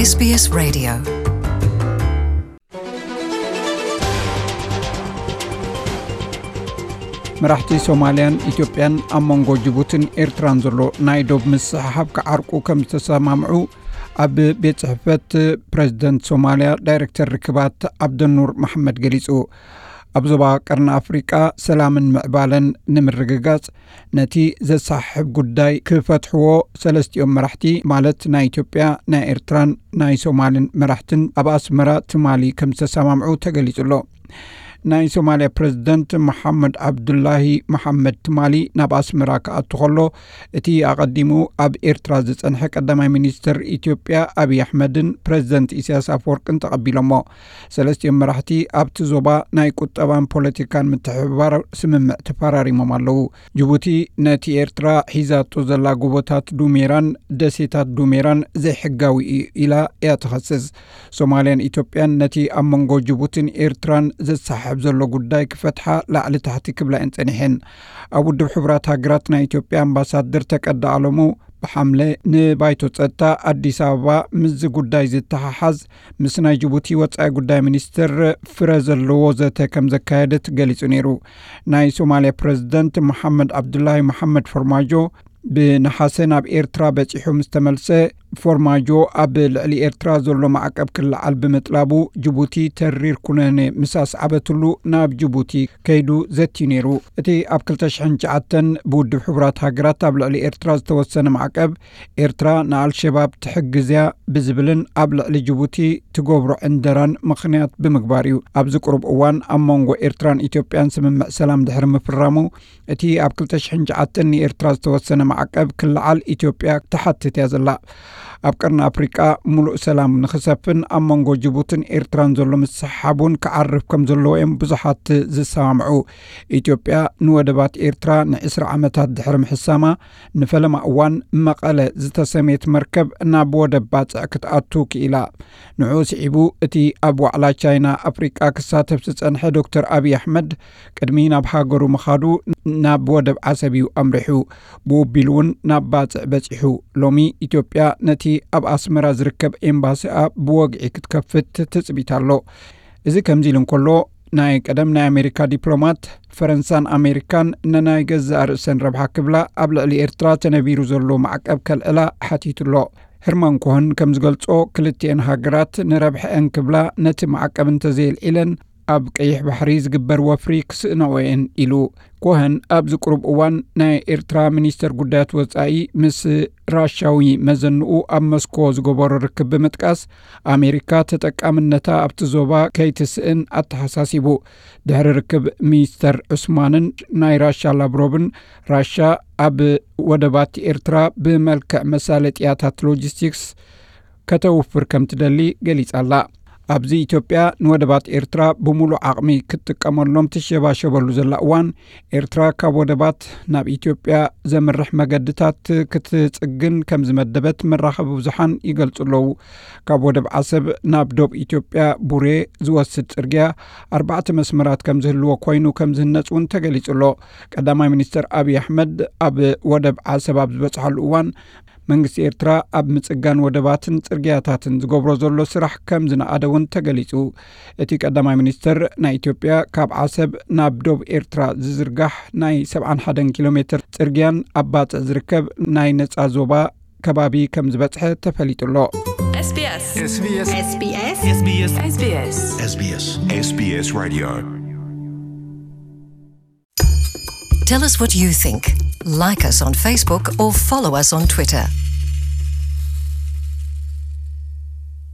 SBS Radio. መራሕቲ ሶማልያን ኢትዮጵያን ኣብ መንጎ ጅቡትን ኤርትራን ዘሎ ናይ ዶብ ምስሕሓብ ክዓርቁ ከም ዝተሰማምዑ ኣብ ቤት ጽሕፈት ፕረዚደንት ሶማልያ ዳይረክተር ርክባት ዓብደኑር መሓመድ ገሊጹ። ኣብ ዞባ ቀርኒ ኣፍሪቃ ሰላምን ምዕባለን ንምርግጋጽ ነቲ ዘሳሕብ ጉዳይ ክፈትሕዎ ሰለስቲኦም መራሕቲ ማለት ናይ ኢትዮጵያ፣ ናይ ኤርትራን ናይ ሶማልን መራሕትን ኣብ ኣስመራ ትማሊ ከም ዝተሰማምዑ ተገሊጹ ኣሎ። ናይ ሶማልያ ፕረዚደንት መሓመድ ዓብዱላሂ መሓመድ ትማሊ ናብ ኣስመራ ክኣቱ ከሎ እቲ ኣቐዲሙ ኣብ ኤርትራ ዝጸንሐ ቀዳማይ ሚኒስትር ኢትዮጵያ ኣብይ ኣሕመድን ፕረዚደንት ኢሳያስ ኣፈወርቅን ተቐቢሎሞ። ሰለስቲኦም መራሕቲ ኣብቲ ዞባ ናይ ቁጠባን ፖለቲካን ምትሕብባር ስምምዕ ተፈራሪሞም ኣለዉ። ጅቡቲ ነቲ ኤርትራ ሒዛቶ ዘላ ጎቦታት ዱሜራን ደሴታት ዱሜራን ዘይሕጋዊ እዩ ኢላ እያ ትኸስስ። ሶማልያን ኢትዮጵያን ነቲ ኣብ መንጎ ጅቡትን ኤርትራን ዘሰሓሕብ ዘሎ ጉዳይ ክፈትሓ ላዕሊ ታሕቲ ክብላ እየን ጸኒሐን። ኣብ ውድብ ሕቡራት ሃገራት ናይ ኢትዮጵያ ኣምባሳደር ተቀዳ ኣለሙ ብሓምለ ንባይቶ ጸጥታ ኣዲስ ኣበባ ምስዚ ጉዳይ ዝተሓሓዝ ምስ ናይ ጅቡቲ ወጻኢ ጉዳይ ሚኒስትር ፍረ ዘለዎ ዘተ ከም ዘካየደት ገሊጹ ነይሩ። ናይ ሶማልያ ፕረዚደንት መሓመድ ዓብዱላሂ መሓመድ ፈርማጆ ብነሓሰ ናብ ኤርትራ በጺሑ ምስ ተመልሰ፣ ፎርማጆ ኣብ ልዕሊ ኤርትራ ዘሎ ማዕቀብ ክለዓል ብምጥላቡ፣ ጅቡቲ ተሪር ኩነኔ ምስ ኣስዓበትሉ ናብ ጅቡቲ ከይዱ ዘትዩ ነይሩ። እቲ ኣብ ክልተ ሽሕን ትሽዓተን ብውድብ ሕቡራት ሃገራት ኣብ ልዕሊ ኤርትራ ዝተወሰነ ማዕቀብ፣ ኤርትራ ንኣልሸባብ ትሕግዝ እያ ብዝብልን ኣብ ልዕሊ ጅቡቲ ትገብሮ ዕንደራን ምኽንያት ብምግባር እዩ። ኣብዚ ቁሩብ እዋን ኣብ መንጎ ኤርትራን ኢትዮጵያን ስምምዕ ሰላም ድሕሪ ምፍራሙ፣ እቲ ኣብ ክልተ ሽሕን ትሽዓተን ንኤርትራ ዝተወሰነ ማዕቀብ ክለዓል ኢትዮጵያ ትሓትት እያ ዘላ። ኣብ ቀርኒ ኣፍሪቃ ሙሉእ ሰላም ንኽሰፍን ኣብ መንጎ ጅቡትን ኤርትራን ዘሎ ምስሕሓብ እውን ክዓርፍ ከም ዘለዎ እዮም ብዙሓት ዝሰማምዑ። ኢትዮጵያ ንወደባት ኤርትራ ንዕስራ ዓመታት ድሕሪ ምሕሳማ፣ ንፈለማ እዋን መቐለ ዝተሰምየት መርከብ ናብ ወደብ ባጽዕ ክትኣቱ ክኢላ። ንዕኡ ስዒቡ፣ እቲ ኣብ ዋዕላ ቻይና ኣፍሪቃ ክሳተፍ ዝጸንሐ ዶክተር ኣብይ ኣሕመድ፣ ቅድሚ ናብ ሃገሩ ምኻዱ ናብ ወደብ ዓሰብ እዩ ኣምሪሑ። ብኡ ኣቢሉ እውን ናብ ባጽዕ በጺሑ። ሎሚ ኢትዮጵያ ነቲ ኣብ ኣስመራ ዝርከብ ኤምባሲኣ ብወግዒ ክትከፍት ትጽቢት ኣሎ። እዚ ከምዚ ኢሉ እንከሎ፣ ናይ ቀደም ናይ ኣሜሪካ ዲፕሎማት፣ ፈረንሳን ኣሜሪካን ነናይ ገዛእ ርእሰን ረብሓ ክብላ ኣብ ልዕሊ ኤርትራ ተነቢሩ ዘሎ ማዕቀብ ከልዕላ ሓቲቱ ኣሎ። ህርማን ኮሀን ከም ዝገልጾ፣ ክልቲኤን ሃገራት ንረብሐአን ክብላ ነቲ ማዕቀብ እንተዘየልዒለን፣ ኣብ ቀይሕ ባሕሪ ዝግበር ወፍሪ ክስእናኦ እየን ኢሉ። ኮሀን ኣብዚ ቁሩብ እዋን ናይ ኤርትራ ሚኒስተር ጉዳያት ወጻኢ ምስ ራሻዊ መዘንኡ ኣብ መስኮ ዝገበሮ ርክብ ብምጥቃስ፣ ኣሜሪካ ተጠቃምነታ ኣብቲ ዞባ ከይትስእን ኣተሓሳሲቡ። ድሕሪ ርክብ ሚኒስተር ዑስማንን ናይ ራሻ ላቭሮቭን፣ ራሻ ኣብ ወደባት ኤርትራ ብመልክዕ መሳለጥያታት ሎጂስቲክስ ከተውፍር ከም ትደሊ ገሊጻ ኣላ። ኣብዚ ኢትዮጵያ ንወደባት ኤርትራ ብምሉእ ዓቕሚ ክትጥቀመሎም ትሸባሸበሉ ዘላ እዋን፣ ኤርትራ ካብ ወደባት ናብ ኢትዮጵያ ዘምርሕ መገድታት ክትጽግን ከም ዝመደበት መራኸቢ ብዙሓን ይገልጹ ኣለዉ። ካብ ወደብ ዓሰብ ናብ ዶብ ኢትዮጵያ ቡሬ ዝወስድ ጽርግያ ኣርባዕተ መስመራት ከም ዝህልዎ ኮይኑ ከም ዝህነጽ እውን ተገሊጹ ኣሎ። ቀዳማይ ሚኒስትር ኣብይ ኣሕመድ ኣብ ወደብ ዓሰብ ኣብ ዝበጽሓሉ እዋን፣ መንግስቲ ኤርትራ ኣብ ምጽጋን ወደባትን ጽርግያታትን ዝገብሮ ዘሎ ስራሕ ከም ዝነኣደ እውን ተገሊጹ። እቲ ቀዳማይ ሚኒስትር፣ ናይ ኢትዮጵያ ካብ ዓሰብ ናብ ዶብ ኤርትራ ዝዝርጋሕ ናይ ሰብዓን ሓደን ኪሎ ሜትር ጽርግያን ኣብ ባጽዕ ዝርከብ ናይ ነጻ ዞባ ከባቢ ከም ዝበጽሐ ተፈሊጡ ኣሎ። SBS. SBS. SBS. SBS. SBS Radio. Tell us what you think. Like us on Facebook or follow us on Twitter.